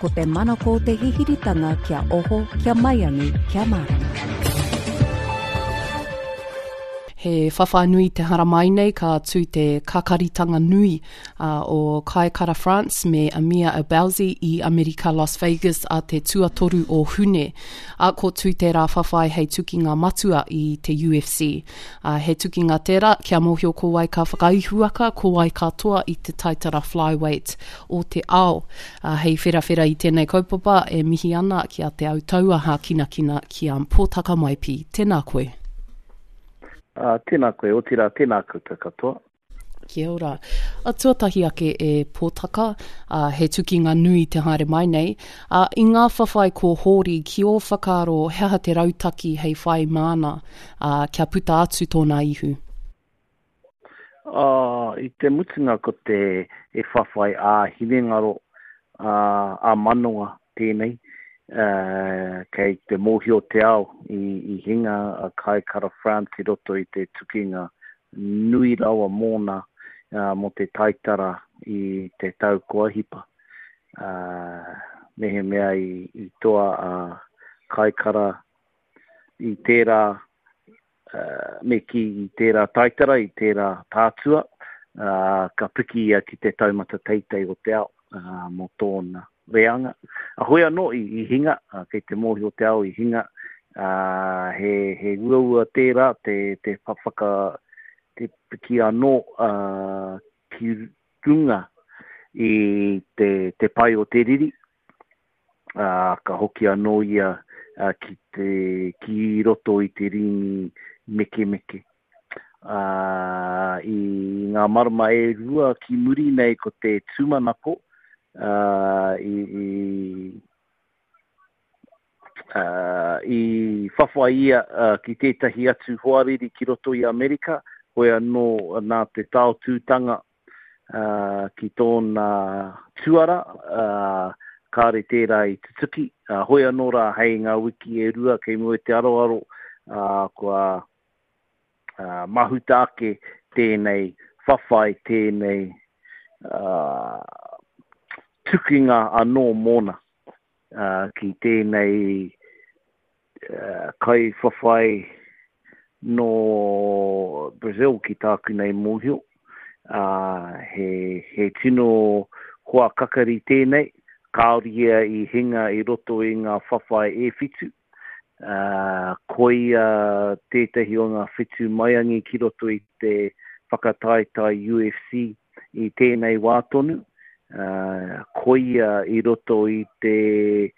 Ko te manako o te hihiritanga kia oho, kia maiangi, kia mārama. He whawhai nui te haramai nei ka tū te kakaritanga nui uh, o Kai Kara France me Amir Albazi i Amerika Las Vegas a te tuatoru o Hune. A ko tū tērā whawhai hei tukinga matua i te UFC. Uh, he tukinga tērā kia mōhio ko wai ka whakaihuwaka, ko wai ka toa i te taitara flyweight o te ao. Uh, hei wherawhera i tēnei kaupapa e mihi ana ki a Te Autaua Hākinakina ki a Pōtaka Maipi. Tēnā koe. Uh, tēnā koe, otirā tēnā koutou katoa. Kia ora. A, tuatahi ake e Pōtaka, a, he tukinga nui te haere mai nei. A, i ngā whawhai ko Hōri, ki ō whakaaro he aha te rautaki hei whai māna, a, kia puta atu tōna ihu? A, i te mutunga ko te e whawhai ā-hinengaro, ā, ā-manawa tēnei, ā, kei te mōhio te ao i, i hinga a Kai Kara France i roto i te tukinga nui rawa mōna mō te taitara i te tau kua hipa. Ā, mehemea i, i toa a Kaikara i tērā, ā, me kī i tērā taitara, i tērā tātua, ā, ka piki ia ki te taumata teitei o te ao, ā, mō tōna reanga. A hoi anō i, i hinga, ā, kei te mōhio te ao i hinga, ā, he, he uaua tērā te, te whaka, te piki anō, ā, ki runga i te, te pae o te riri, ā, ka hoki anō ia ki te, ki roto i te rīngi mekemeke. Ā, i ngā marama e rua ki muri nei ko te tūmanako, ā, i, i, ā, i whawhai ia ki tētahi atu hoariri ki roto i Amerika, hoi anō nā te taotūtanga ā, ki tōna tuara, ā, kāore tērā i tutuki. Ā, hoi anō rā hei ngā wiki e rua kei mua i te aroaro, ā, kua ā, mahuta ake tēnei whawhai, tēnei ā, tukinga anō mōna, ā, ki tēnei kaiwhawhai nō Brazil ki tāku nei mōhio. Ā, he, he tino hoa kakari tēnei, kāore ia i hinga i roto i ngā whawhai e whitu. Ā, koia tētahi o ngā whetū maiangi ki roto i te whakataetae UFC i tēnei wā tonu. Ā, koia i roto i te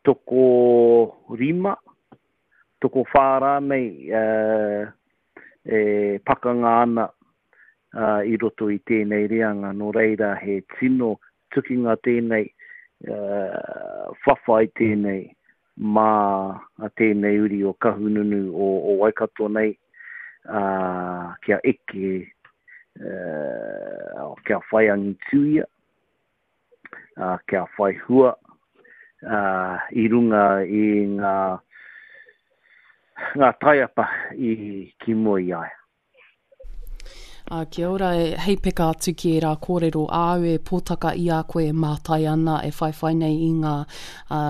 tokorima, tokowhā rānei e pakanga ana i roto i tēnei reanga, nō reira he tino tukinga tēnei, whawhai tēnei mā tēnei uri o Kahungunu o Waikato nei, kia eke, kia whai angitu ia. ā, kia whai hua, ā, i runga i ngā, ngā taiapa i ki mua i a ia. Ā, kia ora, e, hei peka atu ki ērā kōrero āu e pōtaka i a koe e mātai ana, e whaiwhai nei i ngā, ā,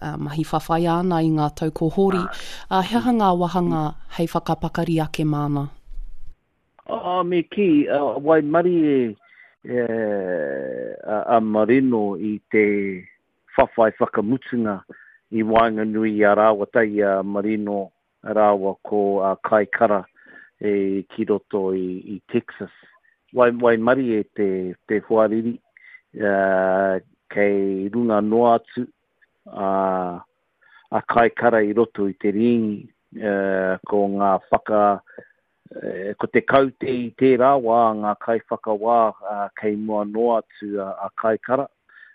ā, mahi whawhai āna i ngā tau ko hori. Ā, he aha ngā wāhanga hei whakapakari ake māna? Ā, me kī, waimarie a Marino i te whawhai whakamutunga i waenganui i a rāua tahi a Marino rāua ko Kai Kara ki roto i Texas. Waimarie te hoariri kei runga noa atu a Kai Kara i roto i te rīngi, ko ngā whaka Ko te kaute i tērā wā ngā kaiwhakawā kei mua noa atu a Kaikara,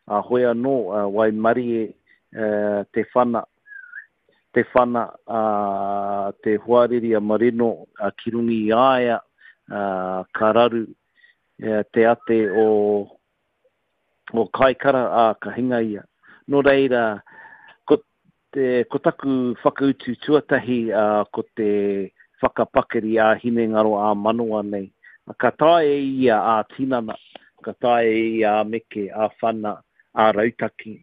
ā, hoi anō waimarie te whana, te whana a te hoariri a Marino ki runga i a ia, ka raru te ate o o Kaikara, ā, ka hinga ia. Nō reira, ko te, ko taku whakautu tuatahi, ā, ko te whakapakari ā-hinengaro, ā-manawa nei. Ka taea e ia ā-tinana, ka taea e ia ā-meke, ā-whana, ā-rautaki.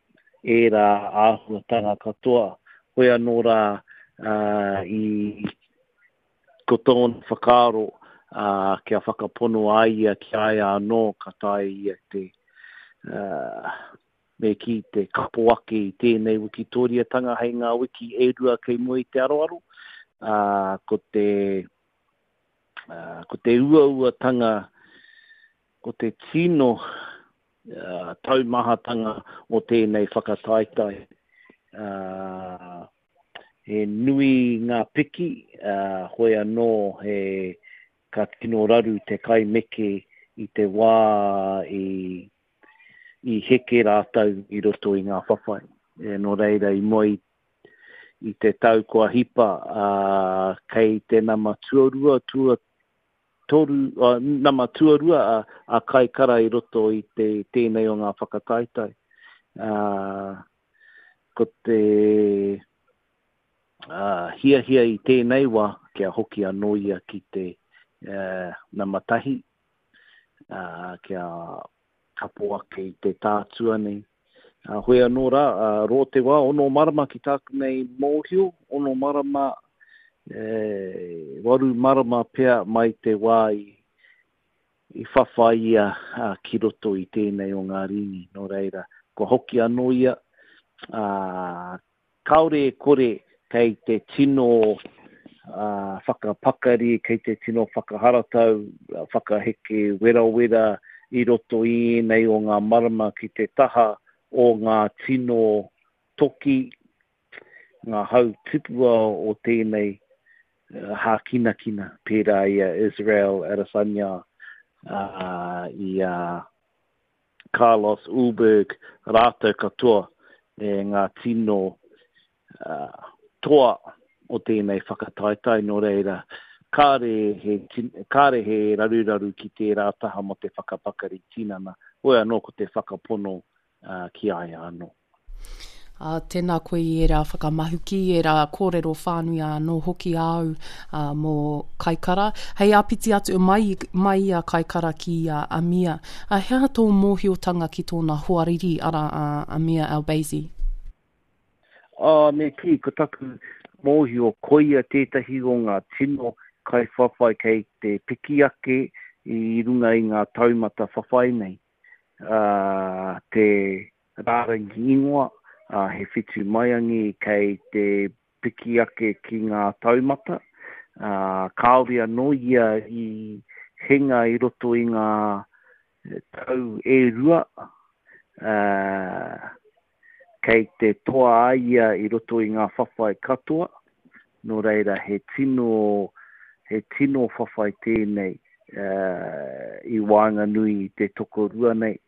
ērā āhuatanga katoa. Hoi anō rā, i, ko tōna whakaaro, kia whakapono a ia ki a ia anō, ka taea ia te, me kī, te kapo ake i tēnei wikitōriatanga hei ngā wiki e rua kei mua i te aroaro, ā, ko te, ko te uauatanga, ko te tino taumahatanga o tēnei whakataetae. He nui ngā piki, hoi anō he ka tino raru te kaimeke i te wā i i heke rātou i roto i ngā whawhai. Nō reira, i mua i i te tau kua hipa, kei te nama tuarua, tua, toru, nama tuarua a, a Kaikara i roto i te, tēnei o ngā whakataetae. Ko te hiahia i tēnei wā kia hoki anō ia ki te nama tahi, kia kapo ake i te tātua nei. Hoi anō rā, rō te wā, ono marama ki tāku nei mōhio, ono marama, e, waru marama pea mai te wā i, i whawhai ia ki roto i tēnei o ngā rīngi. Nō reira, kua hoki anō ia, ā, Kāore e kore kei te tino whakapakari, kei te tino whakaharatau, whakaheke werawera i roto i ēnei o ngā marama ki te taha o ngā tino toki, ngā hau tipua o tēnei hākinakina, pērā i a Israel Adesanya, i a Carlos Ulberg rātou katoa e ngā tino toa o tēnei whakataetae, nō reira, kāre he, kāre he raruraru ki tērā taha mō te whakapakari tinana, hoi anō ko te whakapono ki a ia anō. Ā, tēnā koe i ērā whakamahuki, ērā kōrero whānui anō hoki āu ā, mō Kaikara. Hei āpiti atu, mai, mai i a Kaikara ki a Amir, ā, he aha tō mōhiotanga ki tōna hoariri, arā, a Amir Albazi? Ā, me kī, ko taku mōhio, koia tētahi o ngā tino kaiwhawhai kei te piki ake i runga i ngā taumata whawhai nei. Ā, te Rārangi ingoa, ā, he whitumaiangi kei te piki ake ki ngā taumata, ā, kāore anō ia i hinga i roto i ngā tau e rua, ā, kei te toa a ia i roto i ngā whawhai katoa, nō reira he tino, he tino whawhai tēnei, ā, i waenganui i te tokorua nei.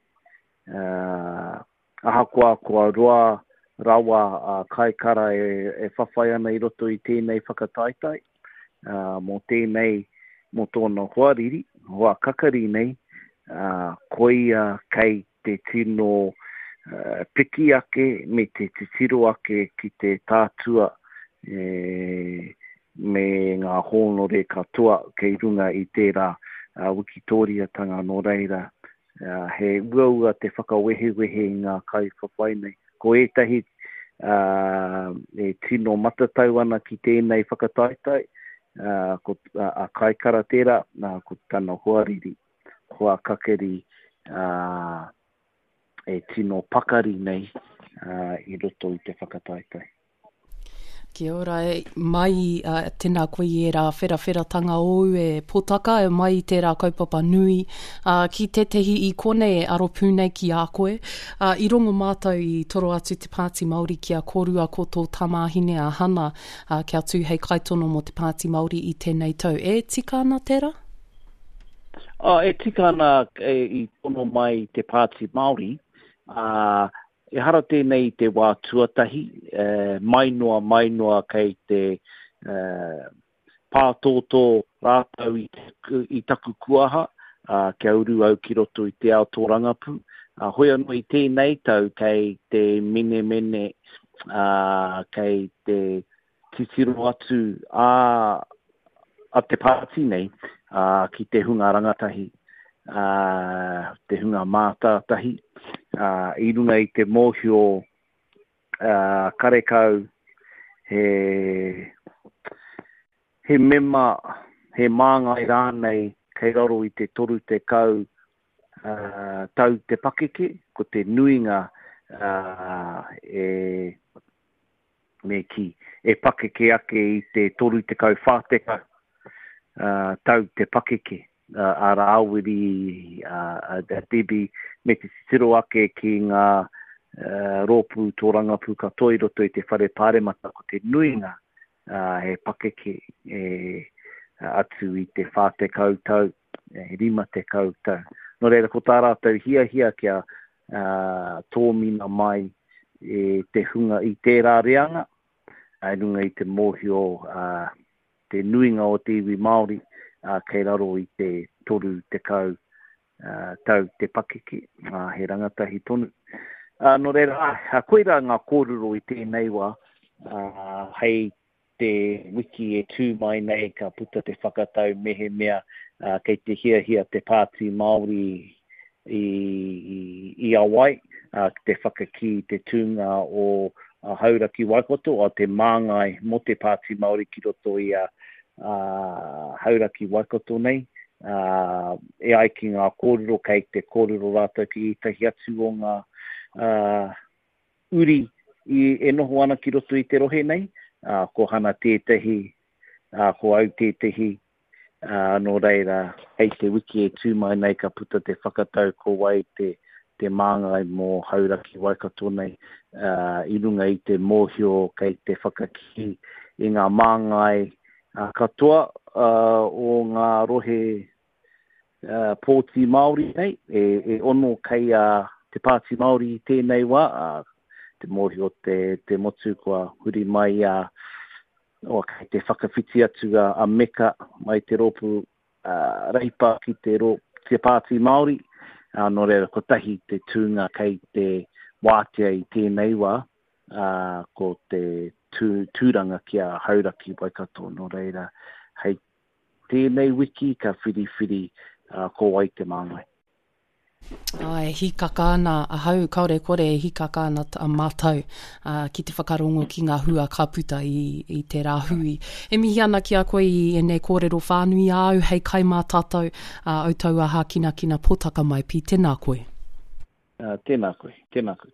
Ahakoa kua roa rawa a Kaikara e whawhai ana i roto i tēnei whakataetae, mō tēnei, mō tōna hoariri, hoa kakari nei, koia kei te tino piki ake me te titiro ake ki te tātua me ngā hōnore katoa kei runga i tērā wikitōriatanga nō reira He uaua te whakawehewehe i ngā kaiwhawhai nei. Ko ētahi e tino matatau ana ki tēnei whakataetae, ko a Kaikara tērā, ko tana hoariri, hoa kakeri e tino pakari nei i roto i te whakataetae. Kia ora, e, mai uh, tēnā koe i ērā wherawheratanga ōu e Potaka, e mai i tērā kaupapa nui uh, ki tētehi i konei e aro pū nei ki a koe. Uh, I rongo mātou i toro atu te Pāti Māori ki a kōrua ko tō tamāhine a Hana uh, kia tū hei kaitono mō te Pāti Māori i tēnei tau. E tika ana tērā? Uh, e tika ana e, i tono mai te Pāti Māori, uh, Ehara tēnei i te wā tuatahi, mai noa, mai noa kei te pātōtō rātou i taku kuaha kia uru au ki roto i te ao tōrangapū. Hoi anō i tēnei tau kei te menemene, kei te titiro atu a a te pāti nei ā, ki te hunga rangatahi, ā, te hunga mātātahi, ā, i runga i te mōhio Karekau he, he mema, he māngai rānei kei raro i te 30 tau te pakeke, ko te nuinga e, me kī, e pakeke ake i te 30, 40 tau te pakeke a Rāwiri, a Debbie, me te titiro ake ki ngā rōpū tōrangapū katoa i roto i te Whare Pāremata, ko te nuinga he pakeke e atu i te 40 tau, 50 tau. Nō reira, ko tā rātou hiahia kia tōmina mai e te hunga i tērā reanga, i runga i te mōhio te nuinga o te iwi Māori kei raro i te 30 tau te pakeke, he rangatahi tonu. Nō reira, koirā ngā kōrero i tēnei wā, hei te wiki e tū mai nei ka puta te whakatau mehemea kei te hiahia te Pāti Māori i a wai ki te whakakī i te tūnga o Hauraki Waikato, o te māngai mō te Pāti Māori ki roto i a Hauraki Waikato nei. E ai ki ngā kōrero, kei te kōrero rātou ki ētahi atu o ngā uri e noho ana ki roto i te rohe nei, ko Hana tētahi, ko au tētahi, Ā, nō reira, hei te wiki e tū mai nei ka puta te whakatau ko wai te, te māngai mō Hauraki Waikato nei, ā, i runga i te mōhio kei te whakakī i ngā māngai katoa o ngā rohe pōti Māori nei, e, e ono kei a te Pāti Māori i tēnei wā, ā, te mōhio te, te motu kua huri mai a O, kei te whakawhiti atu a Meka mai te rōpū Reipa ki te, rō, te Pāti Māori, ā, nō reira kotahi te tūnga kei te wātea i tēnei wā, ā, ko te tū, tūranga ki a Hauraki Waikato, nō reira hei tēnei wiki ka whiriwhiri ko wai te māngai. Āe, hīkaka ana ahau, kāore kore e hīkaka ana a mātou ki te whakarongo ki ngā hua ka puta i, i tērā hui. E mihi ana ki a koe i ēnei kōrero whānui āu hei kai mā tātou, ā, au taua hākinakina pōtaka mai, Pī, tēnā koe. Tēnā koe, tēnā koe.